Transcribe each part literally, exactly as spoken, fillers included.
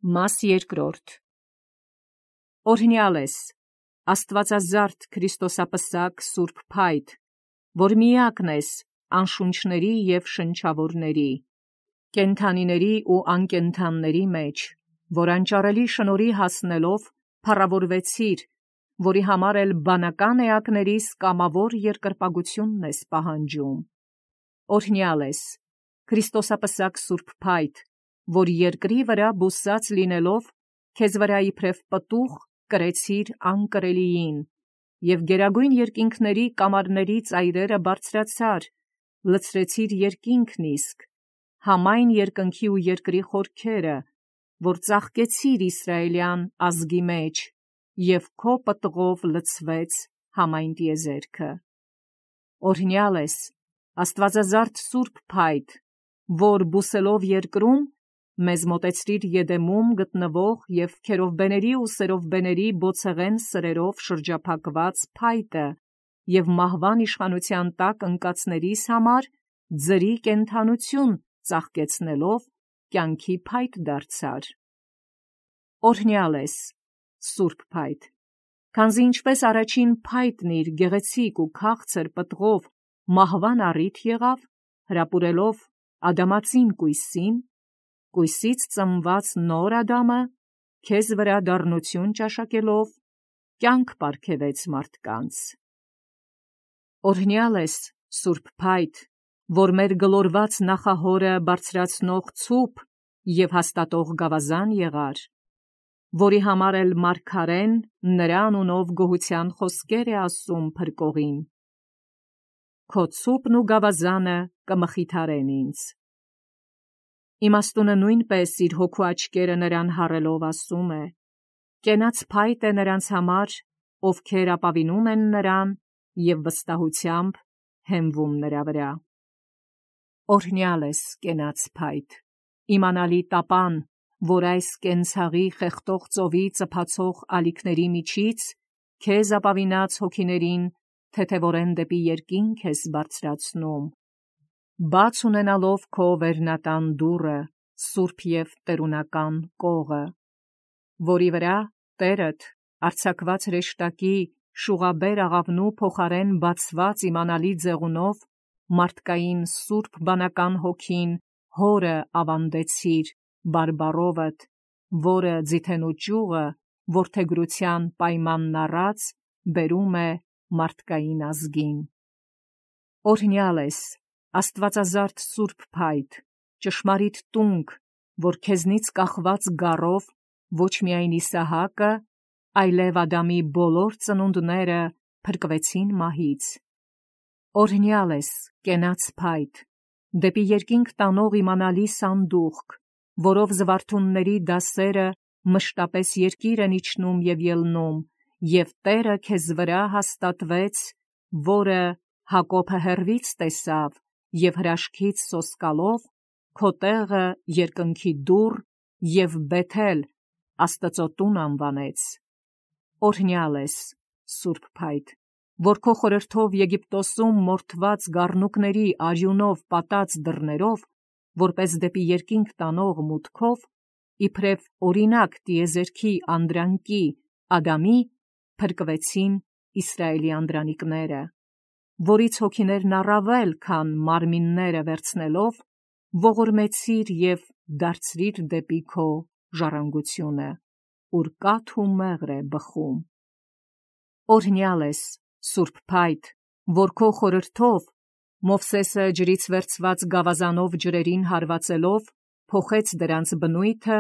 Մաս երկրորդ. Օրհնյալ ես, Աստվածազարդ Քրիստոսապսակ Սուրբ Փայտ, որ միակն ես անշունչների և շնչավորների, կենդանիների ու անկենդանների մեջ, որ անճարելի շնորհի հասնելով փառավորվեցիր, որի համար էլ բանական էակներիս կամավոր երկրպագությունն ես պահանջում։ Օրհնյալ ես, Քրիստոսապսակ Սուրբ Փայտ, որ երկրի վրա բուսած լինելով, քեզ վրա իբրև պտուղ կրեցիր անկրելիին, և գերագույն երկինքների կամարների ծայրերը բարձրացար, լցրեցիր երկինքն իսկ, համայն երկնքի ու երկրի խորքերը, որ ծաղկեցիր Իսրայելյան ազգի մեջ, և քո պտղով լցվեց համայն տիեզերքը։ Օրհնյալ ես, Աստվածազարդ Սուրբ Փայտ, որ բուսելով երկրում, մեզ մոտեցրիր Եդեմում գտնվող և քերովբեների ու սերովբեների բոցեղեն սրերով շրջափակված փայտը, և մահվան իշխանության տակ ընկածներիս համար ձրի կենդանություն ծաղկեցնելով կյանքի փայտ դարձար։ Օրհնյալ ես, Սուրբ Փայտ, քանզի ինչպես առաջին փայտն իր գեղեցիկ ու քաղցր պտղով մահվան առիթ եղավ, հրապուրելով ադամածին կույսին, կույսից ծնված նոր Ադամը, քեզ վրա դառնություն ճաշակելով, կյանք պարգևեց մարդկանց։ Օրհնյալ ես, Սուրբ Փայտ, որ մեր գլորված նախահորը բարձրացնող ցուպ և հաստատող գավազան եղար, որի համար էլ մարգարեն նրա անունով գոհության խոսքեր է ասում փրկողին. Քո ցուպն ու գավազանը կմխիթարեն ինձ։ Իմաստունը նույնպես իր հոգու աչքերը նրան հառելով ասում է. կենաց փայտ է նրանց համար, ովքեր ապավինում են նրան և վստահությամբ հենվում նրա վրա։ Օրհնյալ ես, կենաց փայտ, իմանալի տապան, որ այս կենցաղի խեղդող ծովի ծփացող ալիքների միջից քեզ ապավինած հոգիներին թեթևորեն դեպի երկինք ես բարձրացնում, բաց ունենալով քո վերնատան դուռը, սուրբ և տերունական կողը, որի վրա Տերդ արձակված հրեշտակի շուղաբեր աղավնու փոխարեն բացված իմանալի ձեղունով մարդկային սուրբ բանական հոգին հորը ավանդեցիր բարբառովդ, որը ձիթենու ճյուղը որդեգրության պայմանն առած բերում է մարդկային ազգին։ Օրհնյալ ես, Աստվածազարդ Սուրբ Փայտ, ճշմարիտ տունք, որ քեզնից կախված գառով ոչ միայն Իսահակը, այլև Ադամի բոլոր ծնունդները փրկվեցին մահից։ Օրհնյալ ես, կենաց փայտ, դեպի երկինք տանող իմանալի սանդուղք, որով զվարթունների դասերը մշտապես երկիր են իջնում և ելնում, և Տերը քեզ վրա հաստատվեց, որը Հակոբը հեռվից տեսավ և հրաշքից սոսկալով քո տեղը երկնքի դուռ և Բեթել Աստծո տուն անվանեց։ Օրհնյալ ես, Սուրբ Փայտ, որ քո խորհրդով Եգիպտոսում մորթված գառնուկների արյունով պատած դռներով, որպես դեպի երկինք տանող մուտքով, իբրև օրինակ տիեզերքի անդրանքի Ադամի, փրկվեցին Իսրայելի անդրանիկները, որից հոգիներն առավել, քան մարմինները վերցնելով, ողորմեցիր և դարձրիր դեպի քո ժառանգությունը, ուր կաթ ու մեղր է բխում։ Օրհնյալ ես, Սուրբ Փայտ, որ քո խորհրդով Մովսեսը ջրից վերցված գավազանով ջրերին հարվածելով, փոխեց դրանց բնույթը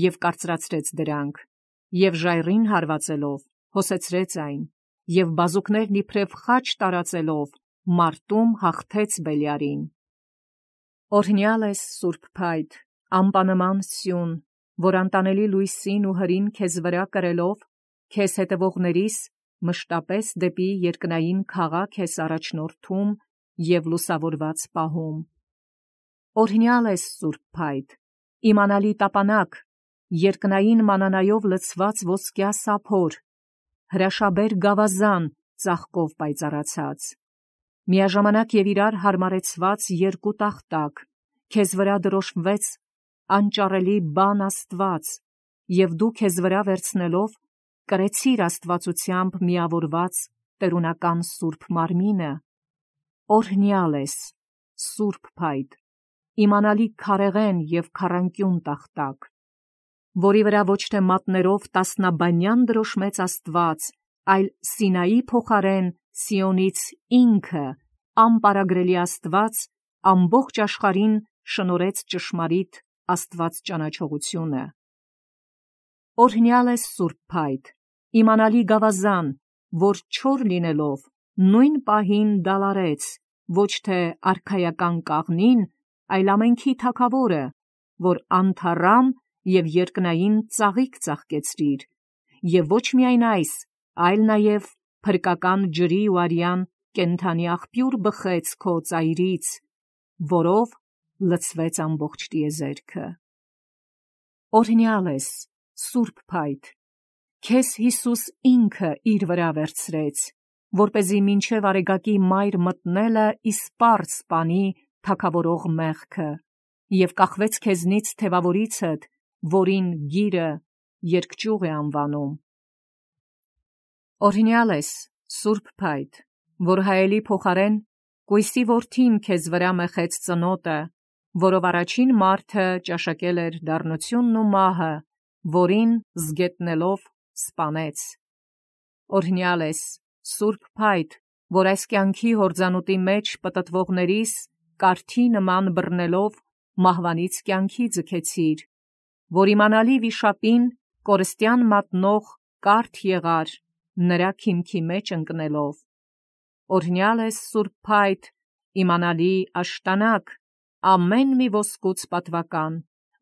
և կարծրացրեց դրանք, և ժայռին հարվածելով, հոսեցրեց այն, և բազուկներն իբրև խաչ տարածելով, մարտում հաղթեց Բելիարին։ Օրհնյալ ես, Սուրբ Փայտ, անպանման սյուն, որ անտանելի լույսին ու հրին քեզ վրա կրելով, քեզ հետևողներիս մշտապես դեպի երկնային քաղաք ես առաջնորդում և լուսավորված պահում։ Օրհնյալ ես, Սուրբ Փայտ, իմանալի տապանակ, երկնային մանանայով լցված ոսկյա սափոր, հրաշաբեր գավազան ծաղկով պայծառացած, միաժամանակ և իրար հարմարեցված երկու տախտակ, քեզ վրա դրոշմվեց անճարելի բան Աստված, և դու քեզ վրա վերցնելով կրեցիր աստվածությամբ միավորված տերունական սուրբ մարմինը, օրհնյալ ես, սուրբ փայտ, իմանալի քարեղեն և քառանկյուն տախտակ, որի վրա ոչ թե մատներով տասնաբանյան դրոշմեց Աստված, այլ Սինայի փոխարեն Սիոնից ինքը, անպարագրելի Աստված, ամբողջ աշխարհին շնորհեց ճշմարիտ Աստված ճանաչողությունը։ Օրհնյալ ես սուրբ փայտ, իմանալի գավազան, որ չոր լինելով նույն պահին դալարեց, ոչ թե արքայական կաղնին, այլ ամենքի թագավորը, որ անթառամ և երկնային ծաղիկ ծաղկեցրիր, և ոչ միայն այս, այլ նաև փրկական ջրի ու արյան կենդանի աղբյուր բխեց քո ծայրից, որով լցվեց ամբողջ տիեզերքը։ Օրհնյալ ես, սուրբ փայտ, քեզ Հիսուս ինքը իր վրա վերցրեց, որպեսզի մինչև արեգակի մայր մտնելը իսպառ սպանի թագավորող մեղքը, և կախվեց քեզնից թևավորիցդ, որին գիրը երկճյուղ է անվանում։ Օրհնյալ ես, սուրբ փայտ, որ հայելի փոխարեն կույսի որդին քեզ վրա մեխեց ծնոտը, որով առաջին մարդը ճաշակել էր դառնությունն ու մահը, որին զգետնելով սպանեց։ Օրհնյալ ես, սուրբ փայտ, որ այս կյանքի հորձանուտի մեջ պտտվողներիս կարթի նման բռնելով մահվանից կյանքի ձգեցիր, որ իմանալի վիշապին կորստյան մատնող կարթ եղար, նրա քիմքի մեջ ընկնելով։ Օրհնյալ ես, սուրբ փայտ, իմանալի աշտանակ, ամեն մի ոսկուց պատվական,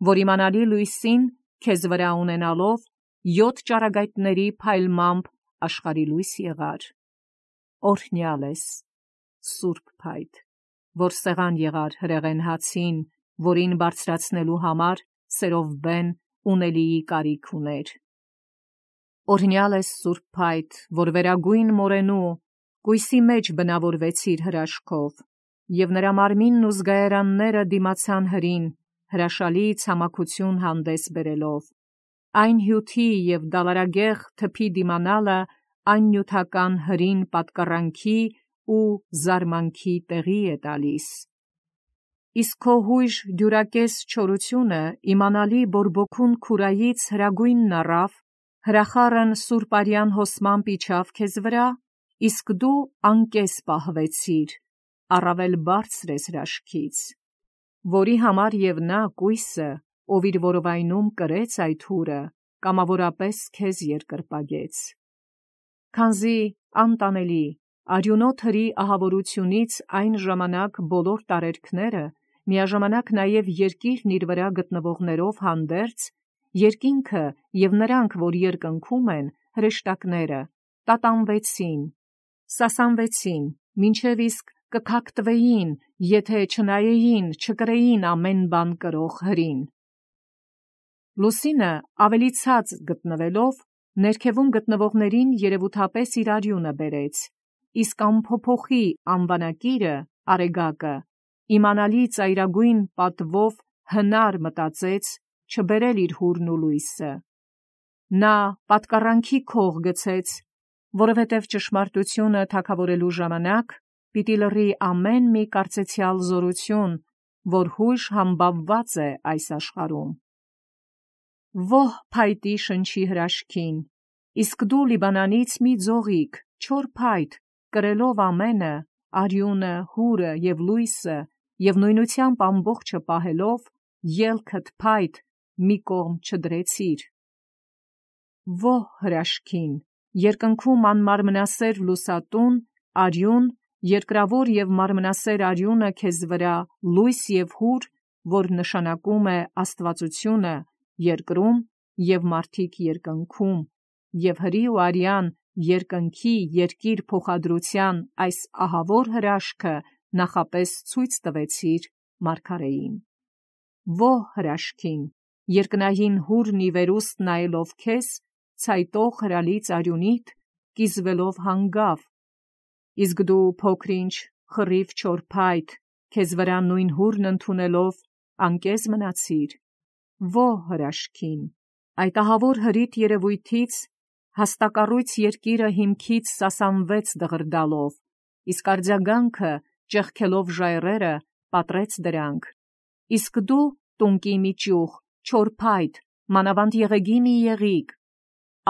որ իմանալի լույսին քեզ վրա ունենալով յոթ ճառագայթների փայլմամբ աշխարհի լույս եղար։ Օրհնյալ ես, սուրբ փայտ, որ սեղան եղար հրեղեն հացին, որին բարձրացնելու համար սերովբեն ունելիի կարիք ուներ։ Օրհնյալ ես, սուրբ փայտ, որ վերագույն մորենու կույսի մեջ բնավորվեցիր հրաշքով, և նրա մարմինն ու զգայարանները դիմացան հրին, հրաշալի ցամաքություն հանդես բերելով, այն հյութի և դալարագեղ թփի դիմանալը այն նյութական հրին պատկառանքի ու զարմանքի տեղի է տալիս։ Իսկ քո հույժ դյուրակես չորությունը իմանալի բորբոքուն քուրայից հրագույնն առավ, հրախառն սուրբարյան հոսմամբ իջավ քեզ վրա, իսկ դու անկես պահվեցիր, առավել բարձր ես հրաշքից, որի համար և նա կույսը, ով իր որովայնում կրեց այդ հուրը, կամավորապես քեզ երկրպագեց։ Քանզի անտանելի արյունոտ հրի ահավորությունից այն ժամանակ բոլոր տարերքները, միաժամանակ նաև երկիրն իր վրա գտնվողներով հանդերձ, երկինքը և նրանք, որ երկնքում են, հրեշտակները, տատանվեցին, սասանվեցին, մինչև իսկ կքակտվեին, եթե չնայեին, չկրեին ամեն բան կրող հրին։ Լուսինը ավելի ցած գտնվելով, ներքևում գտնվողներին երևութապես իր արյունը բերեց, իսկ անփոփոխի անվանակիրը, արեգակը, իմանալի ծայրագույն պատվով հնար մտածեց չբերել իր հուրն ու լույսը։ Նա պատկառանքի քող գցեց, որովհետև ճշմարտությունը թագավորելու ժամանակ պիտի լռի ամեն մի կարծեցյալ զորություն, որ հույժ համբավված է այս աշխարհում։ Ո՛հ փայտի շնչի հրաշքին, իսկ դու Լիբանանից մի ձողիկ, չոր փայտ, կրելով ամենը, արյունը, հուրը և լույսը, և նույնությամբ ամբողջը պահելով, ելքդ փայտ մի կողմ չդրեցիր։ Ո՛հ հրաշքին, երկնքում անմարմնասեր լուսատուն, արյուն, երկրավոր և մարմնասեր արյունը քեզ վրա լույս և հուր, որ նշանակում է աստվածությունը, երկրում և մարդիկ երկնքում, և հրի ու արյան երկնքի երկիր փոխադրության այս ահավոր հրաշքը նախապես ցույց տվեցիր մարգարեին։ Ո՛հ հրաշքին, երկնային հուրն ի վերուստ նայելով քեզ, ցայտող հրալից արյունիդ, կիզվելով հանգավ, իսկ դու փոքր-ինչ խռիվ չոր փայտ, քեզ վրա նույն հուրն ընդունելով, անկեզ մնացիր։ Ո՛հ հրաշքին, Այդ ահավոր հրիտ երևույթից հաստակառույց երկիրը հիմքից սասանվեց դղրդալով, իսկ արձագանքը ճեղքելով ժայռերը պատրեց դրանք։ Իսկ դու տունկի մի ճյուղ, չոր փայտ, մանավանդ եղեգի մի եղիկ,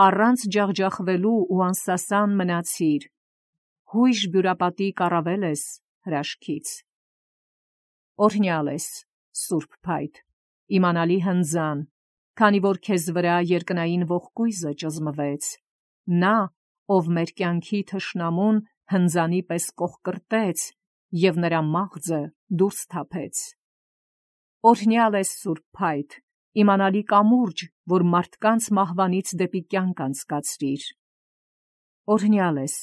առանց ջախջախվելու ու անսասան մնացիր, հույժ բյուրապատի կառավել ես հրաշքից։ Օրհնյալ ես, սուրբ փայտ, իմանալի հնձան, քանի որ քեզ վրա երկնային ողկույզը ճզմվեց, նա, ով մեր կյանքի թշնամուն հնձանի պես կողկրտեց և նրա մաղձը դուրս թափեց։ Օրհնյալ ես, սուրբ փայտ, իմանալի կամուրջ, որ մարդկանց մահվանից դեպի կյանք անցկացրիր։ Օրհնյալ ես,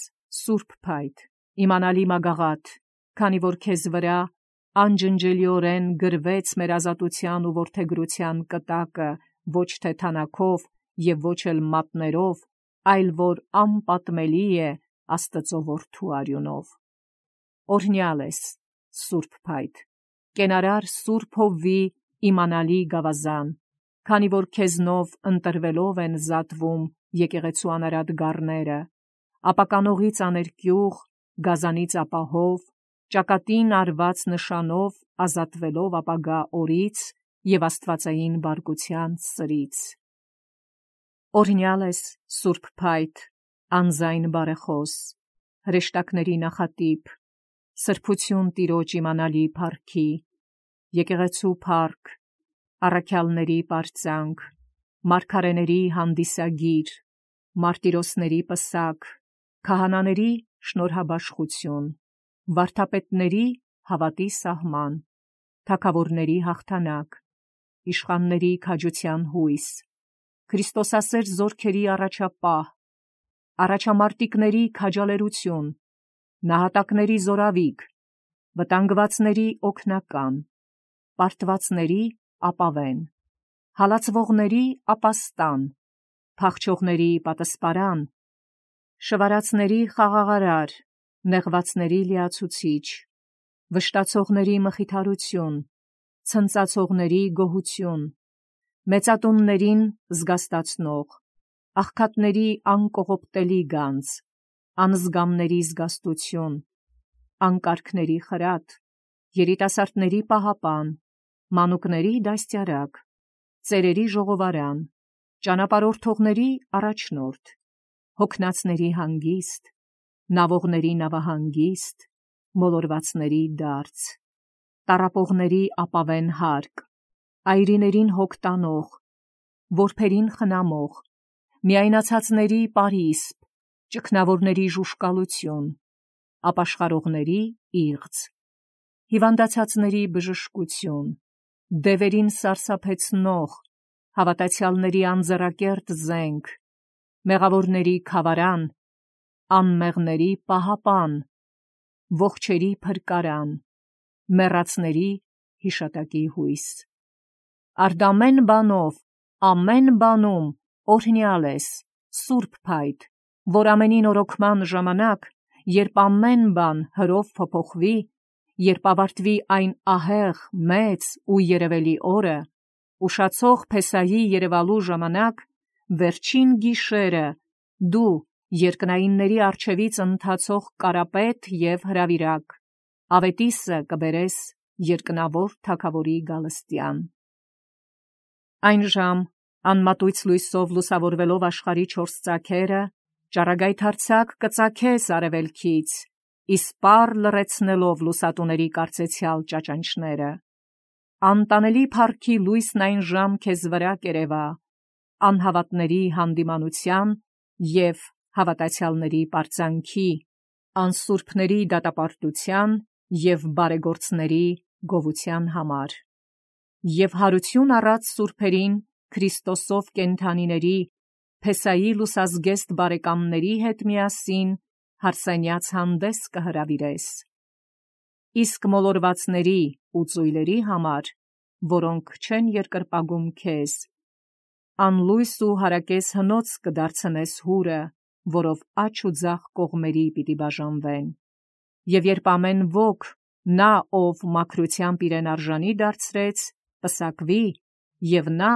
սուրբ փայտ, իմանալի մագաղաթ, քանի որ քեզ վրա անջնջելիորեն գրվեց մեր ազատության ու որդեգրության կտակը, ոչ թե թանաքով և ոչ էլ մատներով, այլ որ անպատմելի է Աստծո որդու արյունով։ Օրհնյալ ես, սուրբ փայտ, կենարար սուրբ հովվի իմանալի գավազան, քանի որ քեզնով ընտրվելով են զատվում եկեղեցու անարատ գառները, ապականողից աներկյուղ, գազանից ապահով, ճակատին արված նշանով ազատվելով ապագա օրից և աստվածային բարկության սրից։ Օրհնյալ ես, սուրբ փայտ, անձայն բարեխոս, հրեշտակների նախատիպ, սրբություն Տիրոջ իմանալի փառքի, եկեղեցու փառք, առաքյալների պարծանք, մարգարեների հանդիսագիր, մարտիրոսների պսակ, քահանաների շնորհաբաշխություն, վարդապետների հավատի սահման, թագավորների հաղթանակ, իշխանների քաջության հույս, Քրիստոսասեր զորքերի առաջապահ, առաջամարտիկների քաջալերություն, նահատակների զորավիգ, վտանգվածների օգնական, պարտվածների ապավեն, հալածվողների ապաստան, փախչողների պատսպարան, շվարածների խաղաղարար, նեղվածների լիացուցիչ, վշտացողների մխիթարություն, ցնծացողների գոհություն, մեծատուններին զգաստացնող, աղքատների անկողոպտելի գանձ, անզգամների զգաստություն, անկարգների խրատ, երիտասարդների պահապան, մանուկների դաստիարակ, ծերերի ժողովարան, ճանապարհորդողների առաջնորդ, հոգնածների հանգիստ, նավողների նավահանգիստ, մոլորվածների դարձ, տառապողների ապավեն հարկ, այրիներին հոգ տանող, որբերին խնամող, միայնացածների պարիսպ, ճգնավորների ժուժկալություն, ապաշխարողների իղձ, հիվանդացածների բժշկություն, դևերին սարսափեցնող, հավատացյալների անձեռակերտ զենք, մեղավորների քավարան, անմեղների պահապան, ողջերի փրկարան, մեռածների հիշատակի հույս։ Արդ ամեն բանով, ամեն բանում օրհնյալ ես, սուրբ փայտ, որ ամենին օրոքման ժամանակ, երբ ամեն բան հրով փոփոխվի, երբ ավարտվի այն ահեղ, մեծ ու երևելի օրը, ուշացող Փեսահի երևալու ժամանակ, վերջին գիշերը, դու երկնայինների առջևից ընթացող կարապետ և հրավիրակ, ավետիսը կբերես երկնավոր թագավորի գալստյան։ Այն ժամ, անմատույց լույսով լուսավորվելով աշխարհի չորս ծագերը, ճառագայթարձակ կծագես արևելքից, իսպառ լռեցնելով լուսատուների կարծեցյալ ճաճանչները։ Անտանելի փառքի լույսն այն ժամ քեզ վրա կերևա, անհավատների հանդիմանության և հավատացյալների պարծանքի, անսուրբների դատապարտության և բարեգործների գովության համար։ Եվ հարություն առած սուրբերին Քրիստոսով կենդանիների, Փեսայի լուսազգեստ բարեկամների հետ միասին հարսենյաց հանդես կհրավիրես։ Իսկ մոլորվածների ու ծույլերի համար, որոնք չեն երկրպագում քեզ, անլույս ու հարակես հնոց կդարձնես հուրը, որով աջ ու ձախ կողմերի պիտի բաժանվեն։ Եվ երբ ամեն ոք, նա, ով մաքրությամբ իրեն արժանի դարձրեց, պսակվի, և նա,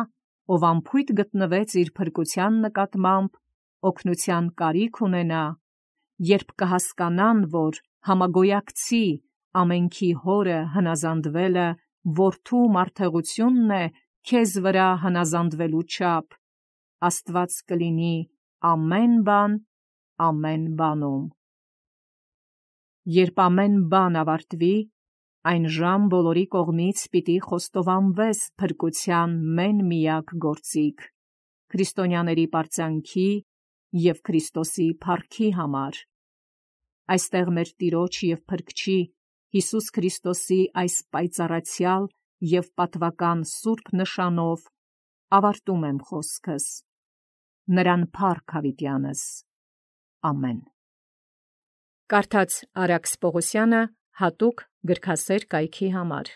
ով անփույթ գտնվեց իր փրկության նկատմամբ, օգնության կարիք ունենա, երբ կհասկանան, որ համագոյակցի ամենքի հորը հնազանդվելը որդու մարդեղությունն է քեզ վրա հնազանդվելու չափ, Աստված կլինի ամեն բան ամեն բանում։ Երբ ամեն բան ավարտվի, այն ժամ բոլորի կողմից պիտի խոստովանվես փրկության մեն միակ գործիք, քրիստոնյաների պարծանքի և Քրիստոսի փառքի համար։ Այստեղ մեր Տիրոջ և Փրկչի Հիսուս Քրիստոսի այս պայծառացյալ և պատվական սուրբ նշանով ավարտում եմ խոսքս։ Նրան փառք հավիտյանս։ Ամեն։ Կարդաց Արաքս Պողոսյանը հատուկ գրքասեր կայքի համար։